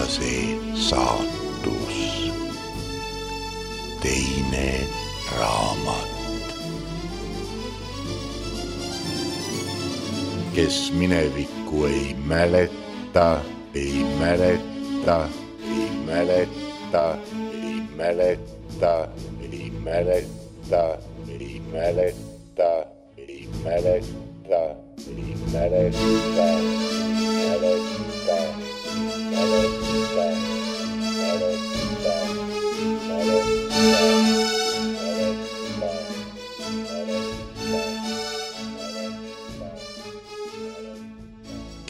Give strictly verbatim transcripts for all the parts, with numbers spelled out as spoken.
see saatus, teine raamat. Kes minevikku ei mäleta, ei mäleta, ei mäleta, ei mäleta, ei mäleta, ei mäleta, ei mäleta, ei mäleta, mäleta, mäleta,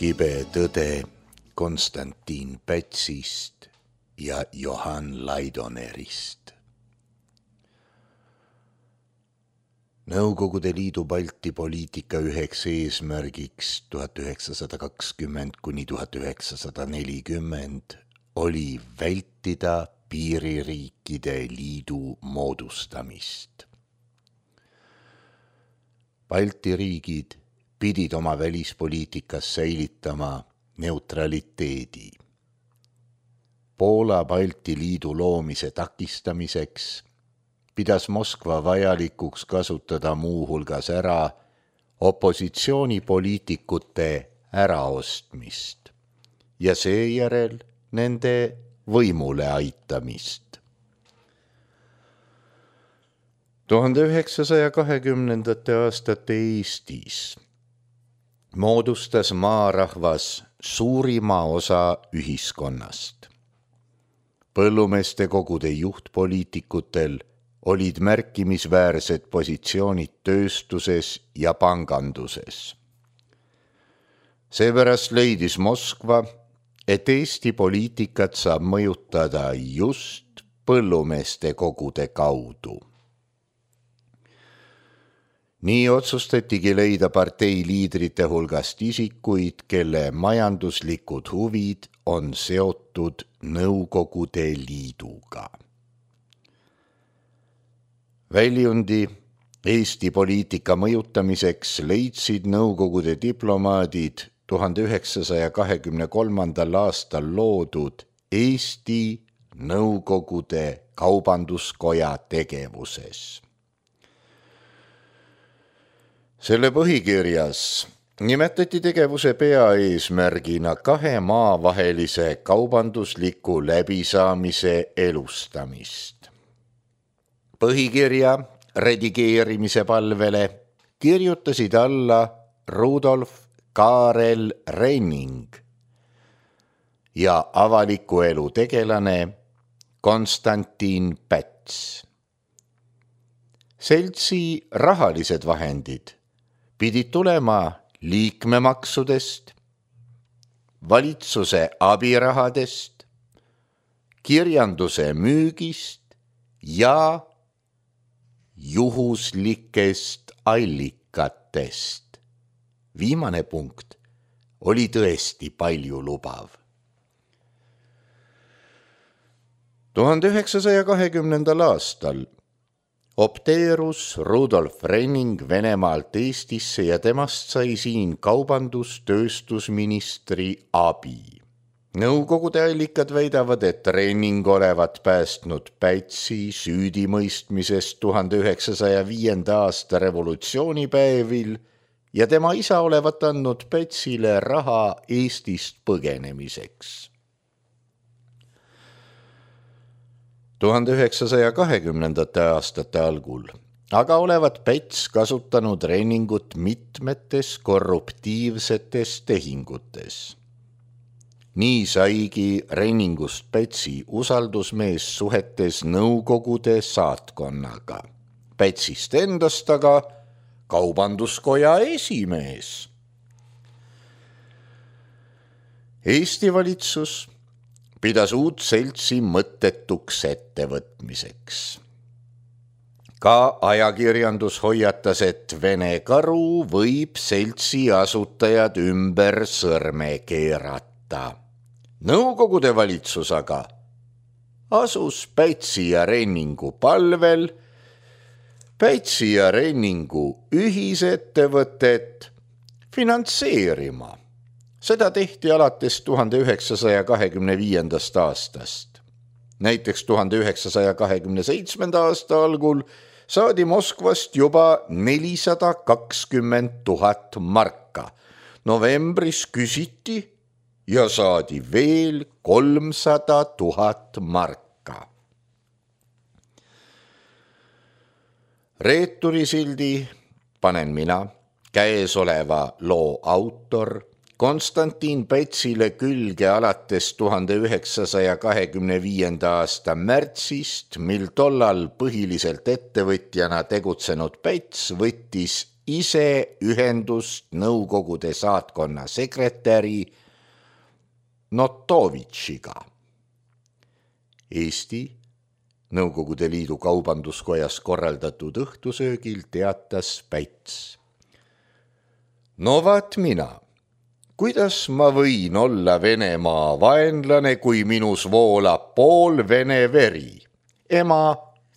Kibe tõde Konstantin Pätsist ja Johan Laidonerist. Nõukogude Liidu Balti poliitika üheks eesmärgiks tuhat üheksasada kakskümmend kuni tuhat üheksasada nelikümmend oli vältida piiririikide liidu moodustamist. Balti riigid pidid oma välispoliitikas säilitama neutraliteedi. Poola Balti liidu loomise takistamiseks pidas Moskva vajalikuks kasutada muuhulgas ära opositsioonipoliitikute äraostmist ja seejärel nende võimule aitamist. tuhande üheksasaja kahekümnendate aastate Eestis moodustas maarahvas suurima osa ühiskonnast. Põllumeeste kogude juhtpoliitikutel olid märkimisväärsed positsioonid tööstuses ja panganduses. Seepärast leidis Moskva, et Eesti poliitikat saab mõjutada just põllumeeste kogude kaudu. Nii otsustatigi leida partei liidrite hulgast isikuid, kelle majanduslikud huvid on seotud Nõukogude Liiduga. Väljundi Eesti poliitika mõjutamiseks leidsid Nõukogude diplomaadid tuhande üheksasaja kahekümne kolmandal aastal loodud Eesti Nõukogude Kaubanduskoja tegevuses. Selle põhikirjas nimetati tegevuse peaeesmärgina kahe maa vahelise kaubandusliku läbisaamise elustamist. Põhikirja redigeerimise palvele kirjutasid alla Rudolf Kaarel Renning ja avaliku elu tegelane Konstantin Päts. Seltsi rahalised vahendid pidid tulema liikmemaksudest, valitsuse abirahadest, kirjanduse müügist ja juhuslikest allikatest. Viimane punkt oli tõesti palju lubav. tuhande üheksasaja kahekümnendal aastal opteerus Rudolf Renning Venemaalt Eestisse ja temast sai siin kaubandus-tööstusministri abi. Nõukogude allikad väidavad, et Renning olevat päästnud Pätsi süüdimõistmisest tuhande üheksasaja viienda aasta revolutsioonipäevil ja tema isa olevat andnud Pätsile raha Eestist põgenemiseks. tuhande üheksasaja kahekümnendate aastate algul aga olevat Päts kasutanud Renningut mitmetes korruptiivsetes tehingutes. Nii saigi Renningust Pätsi usaldusmees suhetes Nõukogude saatkonnaga. Pätsist endast aga Kaubanduskoja esimees. Eesti valitsus pidas uut seltsi mõttetuks ettevõtmiseks. Ka ajakirjandus hoiatas, et Vene karu võib seltsi asutajad ümber sõrme keerata. Nõukogude valitsus aga asus Pätsi ja Renningu palvel Pätsi ja Renningu ühisettevõtet finantseerima. Seda tehti alates tuhande üheksasaja kahekümne viiendast aastast. Näiteks tuhande üheksasaja kahekümne seitsmenda aasta algul saadi Moskvast juba nelisada kakskümmend tuhat marka. Novembris küsiti ja saadi veel kolmsada tuhat marka. Reeturisildi panen mina, käesoleva loo autor, Konstantin Pätsile külge alates tuhande üheksasaja kahekümne viienda aasta märtsist, mil tollal põhiliselt ettevõtjana tegutsenud Päts võttis ise ühendust Nõukogude saatkonna sekretäri Notovitšiga. Eesti Nõukogude Liidu kaubanduskojas korraldatud õhtusöögil teatas Päts. No vaat mina. Kuidas ma võin olla Venemaa vaenlane, kui minus voolab pool vene veri? Ema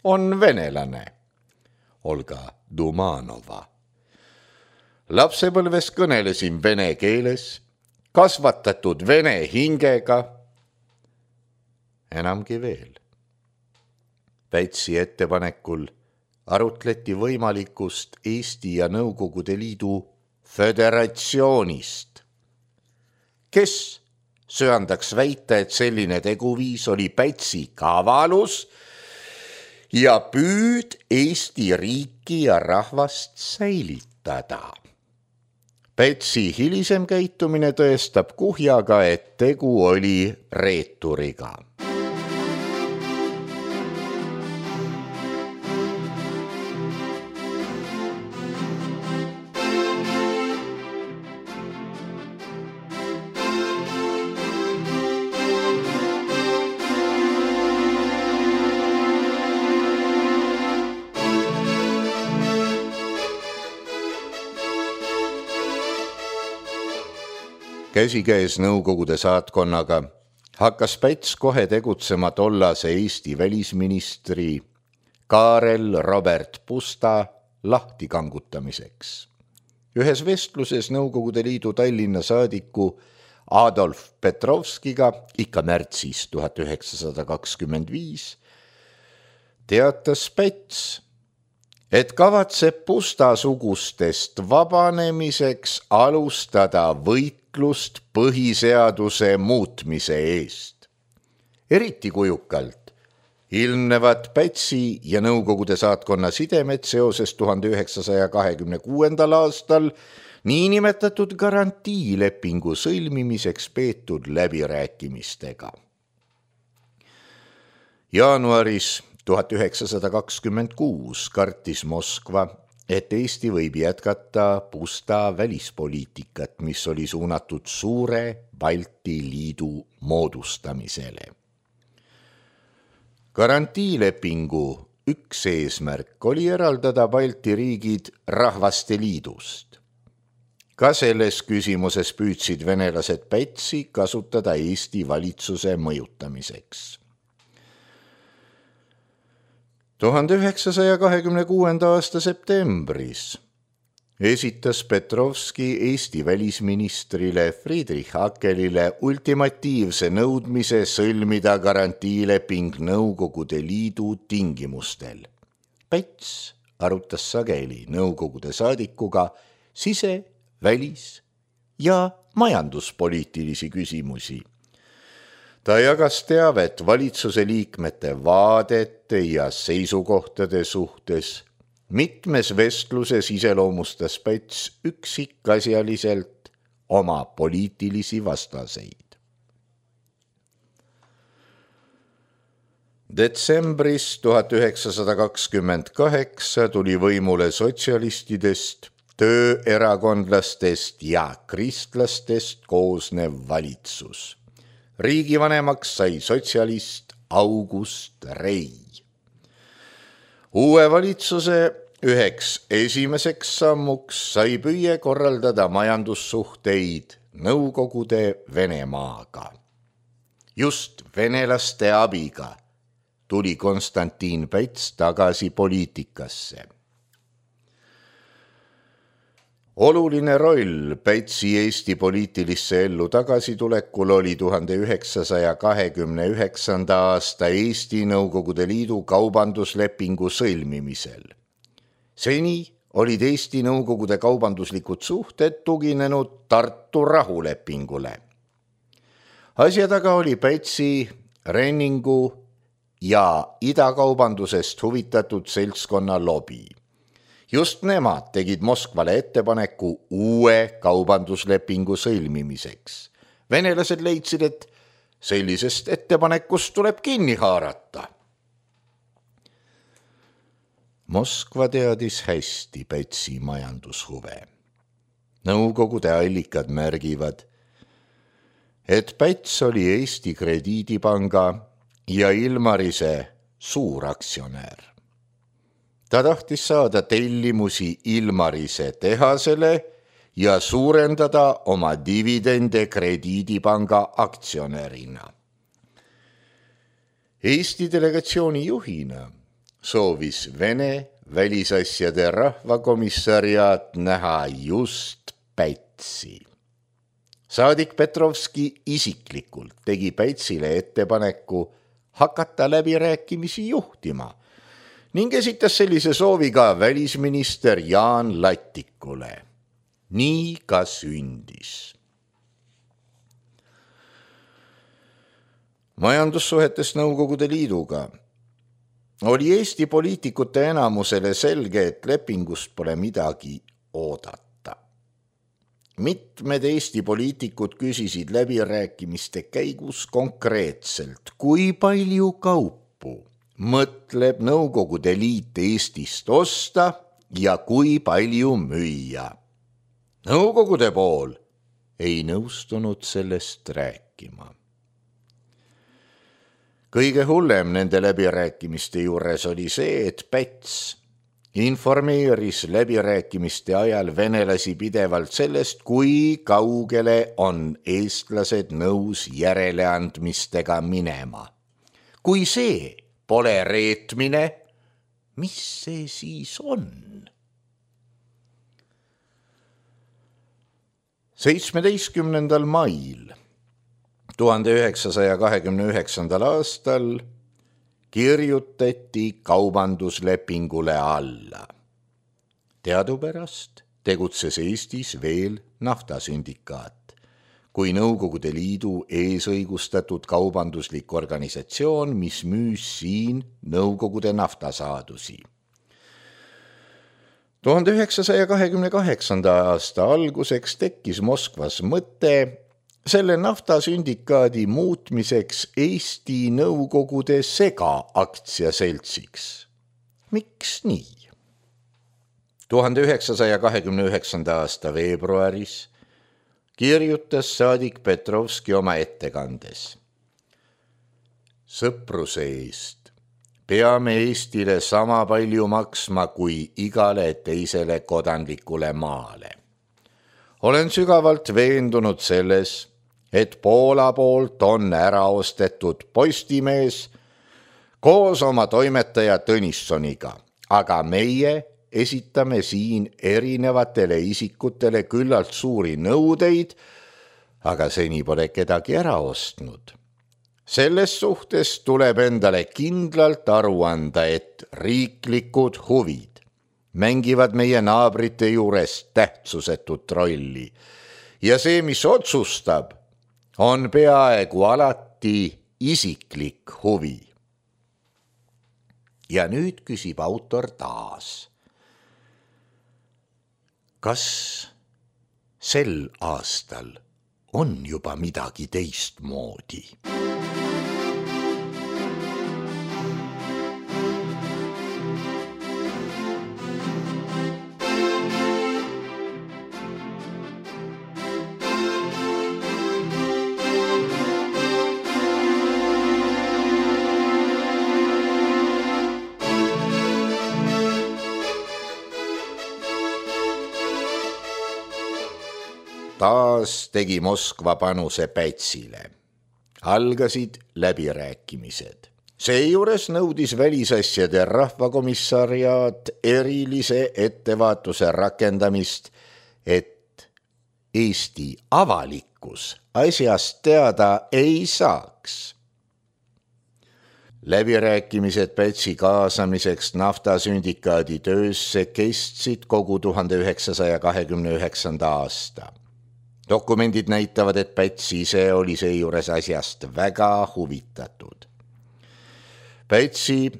on venelane. Olga Dumanova. Lapsepõlves kõnelesin vene keeles, kasvatatud vene hingega. Enamgi veel. Pätsi ettepanekul arutleti võimalikust Eesti ja Nõukogude Liidu föderatsioonist. Kes söandaks väita, et selline teguviis oli Pätsi kavalus ja püüd Eesti riiki ja rahvast säilitada. Pätsi hilisem käitumine tõestab kuhjaga, et tegu oli reeturiga. Käsikäes Nõukogude saatkonnaga hakkas Päts kohe tegutsema tollase Eesti välisministri Karel Robert Pusta lahtikangutamiseks. Ühes vestluses Nõukogude Liidu Tallinna saadiku Adolf Petrovskiga ikka märtsis tuhat üheksasada kakskümmend viis teatas Päts, et kavatseb Pusta-sugustest vabanemiseks alustada võitlust põhiseaduse muutmise eest. Eriti kujukalt ilmnevad Pätsi ja Nõukogude saatkonna sidemed seoses tuhande üheksasaja kahekümne kuuendal aastal niinimetatud garantiilepingu sõlmimiseks peetud läbirääkimistega. Jaanuaris tuhat üheksasada kakskümmend kuus kartis Moskva, et Eesti võib jätkata Pusta välispoliitikat, mis oli suunatud suure Balti liidu moodustamisele. Garantiilepingu üks eesmärk oli eraldada Balti riigid rahvaste liidust. Ka selles küsimuses püüdsid venelased Pätsi kasutada Eesti valitsuse mõjutamiseks. tuhande üheksasaja kahekümne kuuenda aasta septembris esitas Petrovski Eesti välisministrile Friedrich Hakelile ultimatiivse nõudmise sõlmida garantiileping Nõukogude Liidu tingimustel. Päts arutas sageli Nõukogude saadikuga sise-, välis- ja majanduspoliitilisi küsimusi. Ta jagas teavet valitsuse liikmete vaadete ja seisukohtade suhtes. Mitmes vestluses iseloomustas Päts üksikasjaliselt oma poliitilisi vastaseid. Detsembris tuhat üheksasada kakskümmend kaheksa tuli võimule sotsialistidest, tööerakondlastest ja kristlastest koosnev valitsus. Riigivanemaks sai sotsialist August Rei. Uue valitsuse üheks esimeseks sammuks sai püüe korraldada majandussuhteid Nõukogude Venemaaga. Just venelaste abiga tuli Konstantin Päts tagasi poliitikasse. Oluline roll Pätsi Eesti poliitilisse ellu tagasitulekul oli tuhande üheksasaja kahekümne üheksanda aasta Eesti Nõukogude Liidu kaubanduslepingu sõlmimisel. Seni olid Eesti Nõukogude kaubanduslikud suhted tuginenud Tartu rahulepingule. Asja taga oli Pätsi, Renningu ja idakaubandusest huvitatud seltskonna lobi. Just nemad tegid Moskvale ettepaneku uue kaubanduslepingu sõlmimiseks. Venelased leidsid, et sellisest ettepanekust tuleb kinni haarata. Moskva teadis hästi Pätsi majandushuve. Nõukogude allikad märgivad, et Päts oli Eesti Krediidipanga ja Ilmarise suuraktsionär. Ta tahtis saada tellimusi Ilmarise tehasele ja suurendada oma dividende Krediidipanga aktsionärina. Eesti delegatsiooni juhina soovis Vene välisasjade rahvakomissariaat näha just Pätsi. Saadik Petrovski isiklikult tegi Pätsile ettepaneku hakata läbirääkimisi juhtima ning esitas sellise soovi ka välisminister Jaan Lattikule. Nii ka sündis. Majandussuhetes Nõukogude Liiduga oli Eesti poliitikute enamusele selge, et lepingust pole midagi oodata. Mitmed Eesti poliitikud küsisid läbirääkimiste käigus konkreetselt, kui palju kaupu mõtleb Nõukogude Liit Eestist osta ja kui palju müüa. Nõukogude pool ei nõustunud sellest rääkima. Kõige hullem nende läbirääkimiste juures oli see, et Päts informeeris läbirääkimiste ajal venelasi pidevalt sellest, kui kaugele on eestlased nõus järeleandmistega minema. Kui see pole reetmine, mis see siis on? seitsmeteistkümnendal mail tuhande üheksasaja kahekümne üheksandal aastal kirjutati kaubanduslepingule alla. Teadupärast tegutses Eestis veel naftasündikaat, kui Nõukogude Liidu eesõigustatud kaubanduslik organisatsioon, mis müüs siin Nõukogude naftasaadusi. tuhande üheksasaja kahekümne kaheksanda aasta alguseks tekkis Moskvas mõte selle naftasündikaadi muutmiseks Eesti Nõukogude segaaktsiaseltsiks. Miks nii? tuhande üheksasaja kahekümne üheksanda aasta veebruaris kirjutas saadik Petrovski oma ettekandes. Sõpruse eest peame Eestile sama palju maksma kui igale teisele kodanlikule maale. Olen sügavalt veendunud selles, et Poola poolt on ära ostetud Postimees koos oma toimetaja Tõnissoniga, aga meie esitame siin erinevatele isikutele küllalt suuri nõudeid, aga seni pole kedagi ära ostnud. Selles suhtes tuleb endale kindlalt aru anda, et riiklikud huvid mängivad meie naabrite juures tähtsusetut rolli ja see, mis otsustab, on peaaegu alati isiklik huvi. Ja nüüd küsib autor taas. Kas sel aastal on juba midagi teistmoodi? Taas tegi Moskva panuse Pätsile. Algasid läbirääkimised. Seejuures nõudis välisasjade rahvakomissariaat erilise ettevaatuse rakendamist et Eesti avalikkus asjast teada ei saaks. Läbirääkimised Pätsi kaasamiseks naftasündikaadi töösse kestsid kogu tuhande üheksasaja kahekümne üheksanda aasta. Dokumendid näitavad, et Päts ise oli seejuures asjast väga huvitatud. Pätsi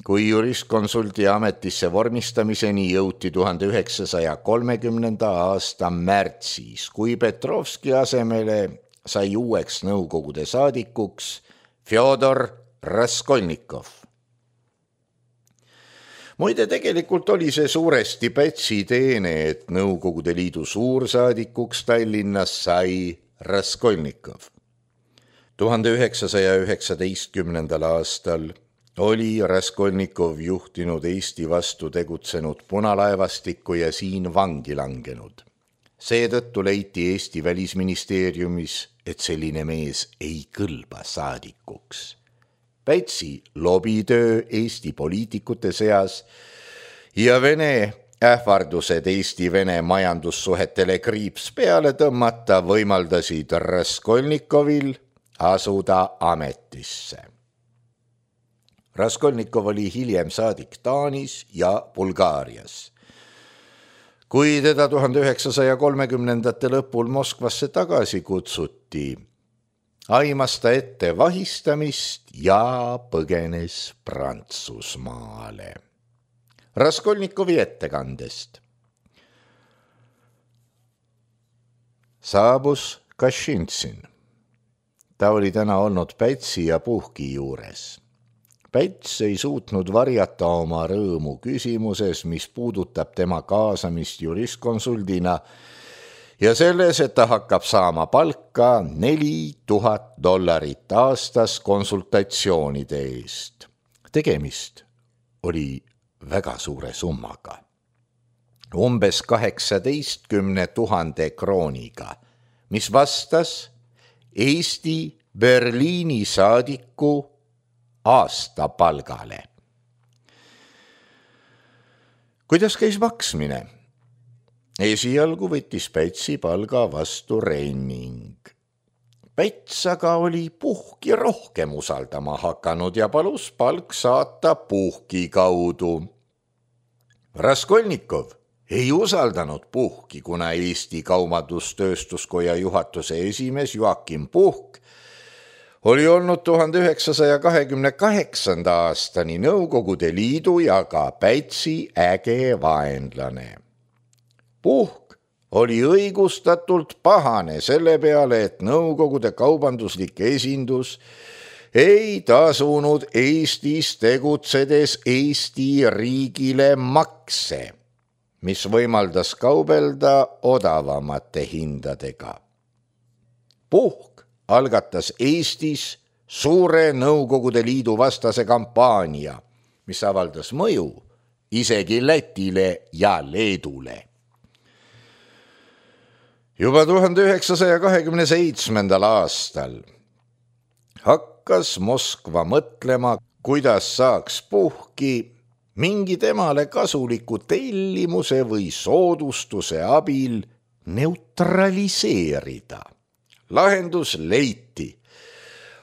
kui juristkonsulti ametisse vormistamiseni jõuti tuhande üheksasaja kolmekümnenda aasta märtsis, kui Petrovski asemele sai uueks nõukogude saadikuks Fjodor Raskolnikov. Muide, tegelikult oli see suuresti Pätsi teene, et Nõukogude Liidu suursaadikuks Tallinnas sai Raskolnikov. tuhande üheksasaja üheksateistkümnendal aastal oli Raskolnikov juhtinud Eesti vastu tegutsenud punalaevastikku ja siin vangi langenud. Seetõttu leiti Eesti välisministeeriumis, et selline mees ei kõlba saadikuks. Pätsi lobitöö Eesti poliitikute seas ja Vene ähvardused Eesti-Vene majandussuhetele kriips peale tõmmata võimaldasid Raskolnikovil asuda ametisse. Raskolnikov oli hiljem saadik Taanis ja Bulgaarias. Kui teda tuhande üheksasaja kolmekümnendate lõpul Moskvasse tagasi kutsuti, aimas ta ette vahistamist ja põgenes Prantsusmaale. Raskolnikovi ettekandest. Saabus Kašinsin. Ta oli täna olnud Pätsi ja Puhki juures. Päts ei suutnud varjata oma rõõmu küsimuses, mis puudutab tema kaasamist juristkonsuldina ja selles, et ta hakkab saama palka neli tuhat dollarit aastas konsultatsioonide eest. Tegemist oli väga suure summaga. Umbes kaheksateistkümne tuhande krooniga, mis vastas Eesti Berliini saadiku aastapalgale. Kuidas käis maksmine? Esialgu võttis Pätsi palga vastu Renning. Päts aga oli Puhki rohkem usaldama hakanud ja palus palk saata Puhki kaudu. Raskolnikov ei usaldanud Puhki, kuna Eesti Kaubandustööstuskoja juhatuse esimees Joakim Puhk oli olnud tuhande üheksasaja kahekümne kaheksanda aastani Nõukogude Liidu ja ka Pätsi äge vaenlane. Puhk oli õigustatult pahane selle peale, et Nõukogude kaubanduslik esindus ei tasunud Eestis tegutsedes Eesti riigile makse, mis võimaldas kaubelda odavamate hindadega. Puhk algatas Eestis suure Nõukogude Liidu vastase kampaania, mis avaldas mõju isegi Lätile ja Leedule. Juba tuhande üheksasaja kahekümne seitsmendal aastal hakkas Moskva mõtlema, kuidas saaks Puhki mingi temale kasuliku tellimuse või soodustuse abil neutraliseerida. Lahendus leiti.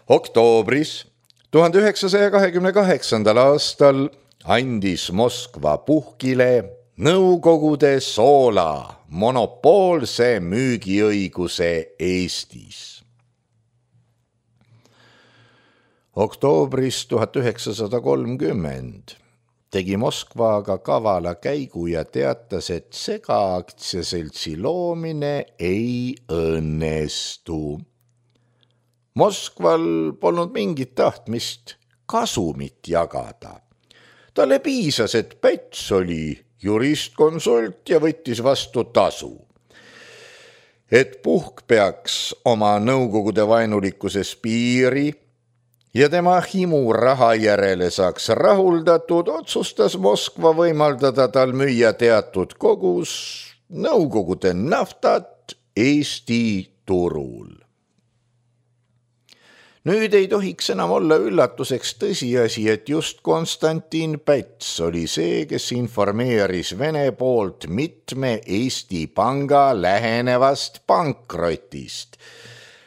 Oktoobris tuhande üheksasaja kahekümne kaheksandal aastal andis Moskva Puhkile Nõukogude soola monopoolse müügiõiguse Eestis. Oktoobris tuhat üheksasada kolmkümmend tegi Moskva aga kavala käigu ja teatas, et segaaktsiaseltsi loomine ei õnnestu. Moskval polnud mingit tahtmist kasumit jagada. Talle piisas, et Päts oli juristkonsult ja võttis vastu tasu. Et Puhk peaks oma Nõukogude vaenulikkuses piiri ja tema himu raha järele saaks rahuldatud, otsustas Moskva võimaldada tal müüa teatud kogus Nõukogude naftat Eesti turul. Nüüd ei tohiks enam olla üllatuseks tõsiasi, et just Konstantin Päts oli see, kes informeeris Vene poolt mitme Eesti panga lähenevast pankrotist.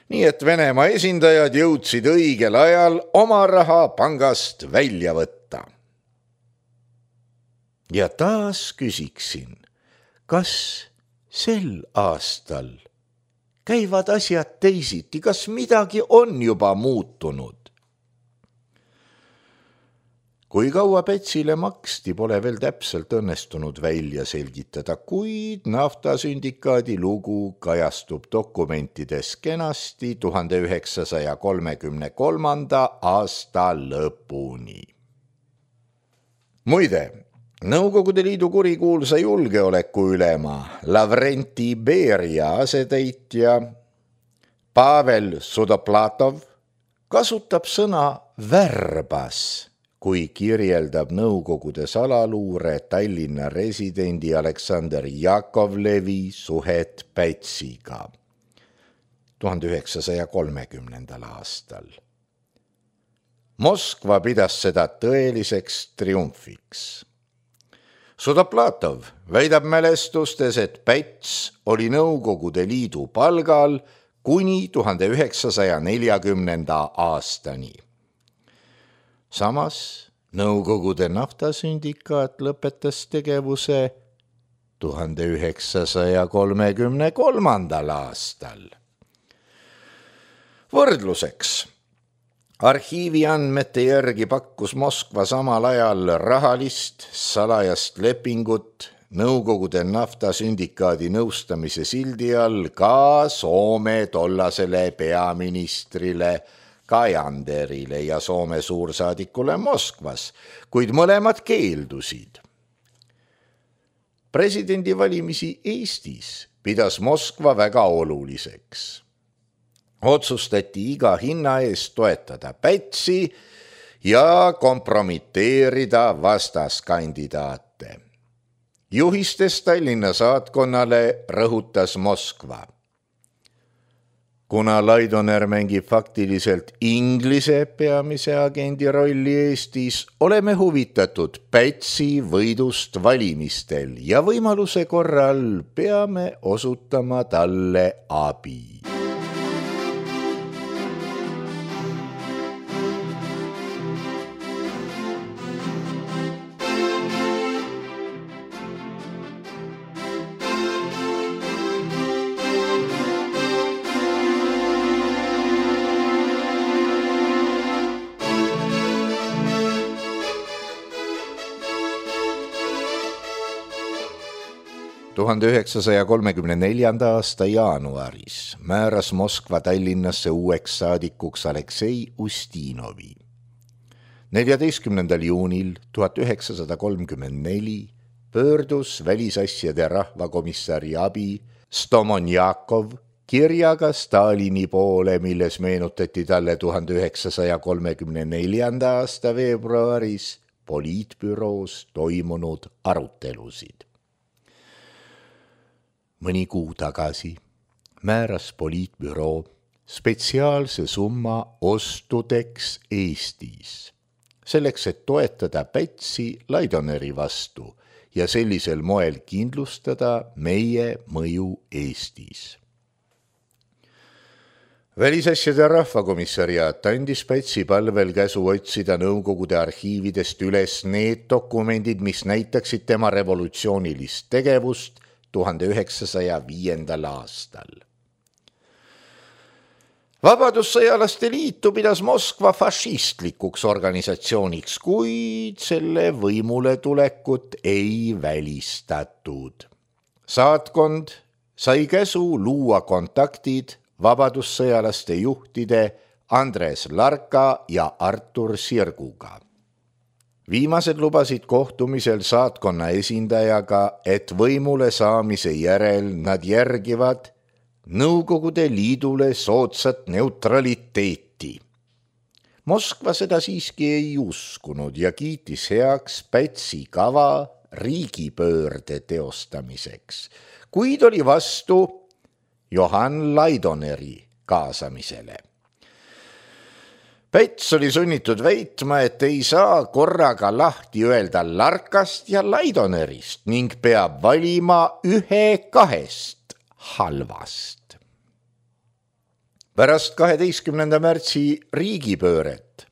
Nii et Venemaa esindajad jõudsid õigel ajal oma raha pangast välja võtta. Ja taas küsiksin, kas sel aastal käivad asjad teisiti, kas midagi on juba muutunud? Kui kaua Pätsile maksti, pole veel täpselt õnnestunud välja selgitada, kuid naftasündikaadi lugu kajastub dokumentides kenasti tuhande üheksasaja kolmekümne kolmanda aasta lõpuni. Muide, Nõukogude Liidu kurikuulsa julgeolekuülema Lavrenti Beria asetäitja Pavel Sudoplatov kasutab sõna värbas, kui kirjeldab Nõukogude salaluure Tallinna residendi Aleksander Jakovlevi suhet Pätsiga tuhande üheksasaja kolmekümnendal aastal. Moskva pidas seda tõeliseks triumfiks. Sudoplatov väidab mälestustes, et Päts oli Nõukogude Liidu palgal kuni tuhande üheksasaja neljakümnenda aastani. Samas Nõukogude naftasündikaat lõpetas tegevuse tuhande üheksasaja kolmekümne kolmandal aastal. Võrdluseks. Arhiivi andmete järgi pakkus Moskva samal ajal rahalist salajast lepingut Nõukogude naftasündikaadi nõustamise sildi all ka Soome tollasele peaministrile Kajanderile ja Soome suursaadikule Moskvas, kuid mõlemad keeldusid. Presidendivalimisi Eestis pidas Moskva väga oluliseks. Otsustati iga hinna eest toetada Pätsi ja kompromiteerida vastaskandidaate. Juhistes Tallinna saatkonnale rõhutas Moskva. Kuna Laidoner mängib faktiliselt Inglise peamise agendi rolli Eestis, oleme huvitatud Pätsi võidust valimistel ja võimaluse korral peame osutama talle abi. tuhande üheksasaja kolmekümne neljanda aasta jaanuaris määras Moskva Tallinnasse uueks saadikuks Aleksei Ustinovi. neljateistkümnendal juunil tuhat üheksasada kolmkümmend neli pöördus välisasjade rahvakomissari abi Stomonjakov kirjaga Stalini poole, milles meenutati talle tuhande üheksasaja kolmekümne neljanda aasta veebruaris poliitbüroos toimunud arutelusid. Mõni kuu tagasi määras poliitbüroo spetsiaalse summa ostudeks Eestis, selleks, et toetada Pätsi Laidoneri vastu ja sellisel moel kindlustada meie mõju Eestis. Välisasjade rahvakomissariaat andis Pätsi palvel käsu otsida Nõukogude arhiividest üles need dokumendid, mis näitaksid tema revolutsioonilist tegevust tuhande üheksasaja viiendal aastal. Vabadussõjalaste liitu pidas Moskva fašistlikuks organisatsiooniks, kuid selle võimule tulekut ei välistatud. Saatkond sai käsu luua kontaktid vabadussõjalaste juhtide Andres Larka ja Artur Sirguga. Viimased lubasid kohtumisel saatkonna esindajaga, et võimule saamise järel nad järgivad Nõukogude Liidule soodsat neutraliteeti. Moskva seda siiski ei uskunud ja kiitis heaks Pätsi kava riigipöörde teostamiseks, kuid oli vastu Johann Laidoneri kaasamisele. Päts oli sunnitud väitma, et ei saa korraga lahti öelda Larkast ja Laidonerist ning peab valima ühe kahest halvast. Pärast kaheteistkümnenda märtsi riigipööret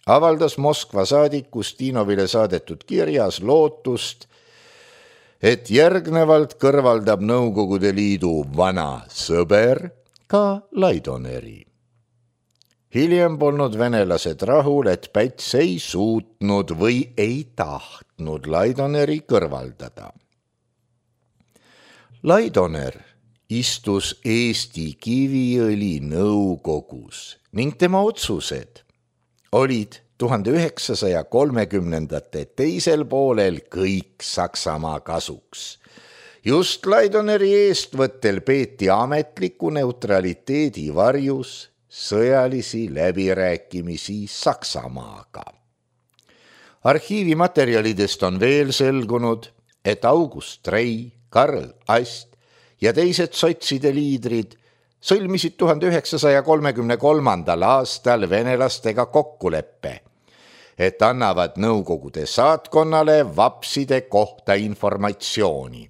avaldas Moskva saadik Ustinovile saadetud kirjas lootust, et järgnevalt kõrvaldab Nõukogude Liidu vana sõber ka Laidoneri. Hiljem polnud venelased rahul, et Päts ei suutnud või ei tahtnud Laidoneri kõrvaldada. Laidoner istus Eesti Kiviõli nõukogus ning tema otsused olid tuhande üheksasaja kolmekümnendate teisel poolel kõik Saksamaa kasuks. Just Laidoneri eestvõttel peeti ametliku neutraliteedi varjus sõjalisi läbirääkimisi Saksamaaga. Arhiivimaterjalidest on veel selgunud, et August Rei, Karl Ast ja teised sotside liidrid sõlmisid tuhande üheksasaja kolmekümne kolmandal aastal venelastega kokkuleppe, et annavad Nõukogude saatkonnale vapside kohta informatsiooni.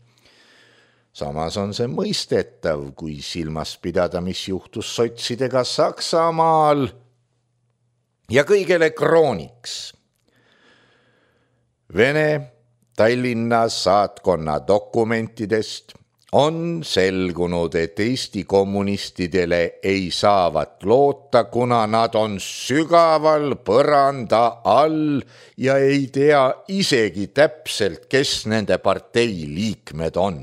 Samas on see mõistetav, kui silmas pidada, mis juhtus sotsidega Saksamaal ja kõigele krooniks. Vene Tallinna saatkonna dokumentidest on selgunud, et Eesti kommunistidele ei saavat loota, kuna nad on sügaval põranda all ja ei tea isegi täpselt, kes nende partei liikmed on.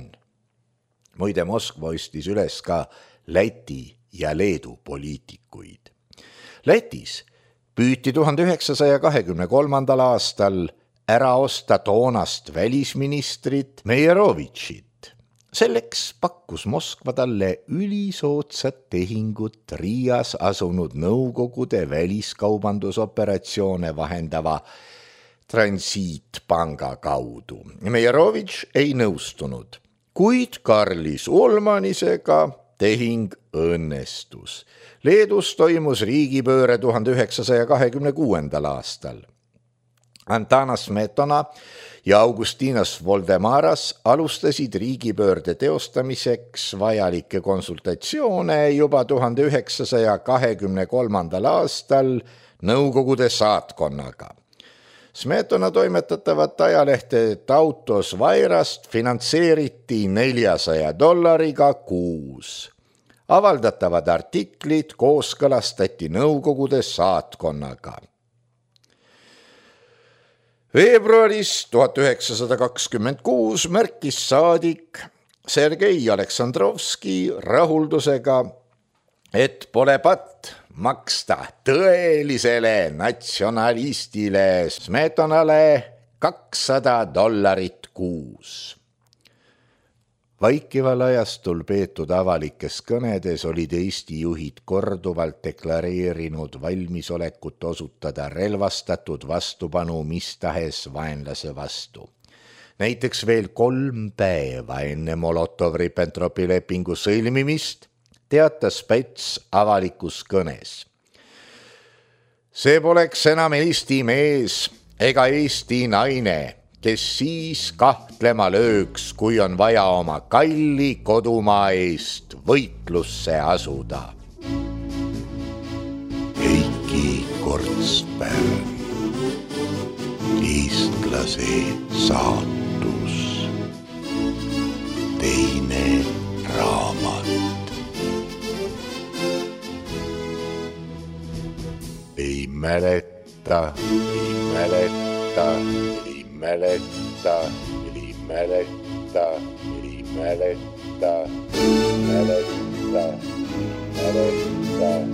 Muide, Moskva ostis üles ka Läti ja Leedu poliitikuid. Lätis püüti tuhande üheksasaja kahekümne kolmandal aastal ära osta toonast välisministrit Meierovitšit. Selleks pakkus Moskva talle ülisootsat tehingut Riias asunud Nõukogude väliskaubandusoperatsioone vahendava Transiitpanga kaudu. Meierovitš ei nõustunud. Kuid Karlis Ulmanisega tehing õnnestus. Leedus toimus riigipööre tuhande üheksasaja kahekümne kuuendal aastal. Antanas Smetona ja Augustinas Voldemaras alustasid riigipöörde teostamiseks vajalikke konsultatsioone juba tuhande üheksasaja kahekümne kolmandal aastal Nõukogude saatkonnaga. Smetona toimetatavat ajalehte Tautos Vairast finantseeriti neljasaja dollariga kuus. Avaldatavad artiklid kooskõlastati Nõukogude saatkonnaga. Veebruaris tuhat üheksasada kakskümmend kuus märkis saadik Sergei Aleksandrovski rahuldusega, et pole patt maksta tõelisele natsionalistile Smetonale kakssada dollarit kuus. Vaikival ajastul peetud avalikes kõnedes olid Eesti juhid korduvalt deklareerinud valmisolekut osutada relvastatud vastupanu mis tahes vaenlase vastu. Näiteks veel kolm päeva enne Molotov-Ribbentropi lepingu sõlmimist teatas Päts avalikus kõnes. See poleks enam Eesti mees ega Eesti naine, kes siis kahtlema lööks, kui on vaja oma kalli kodumaa eest võitlusse asuda. Heiki Kortsberg, eestlase saatus, teine raamat. Ei mäleta, ei mäleta, ei mäleta, ei mäleta, ei mäleta, mäleta, mäleta.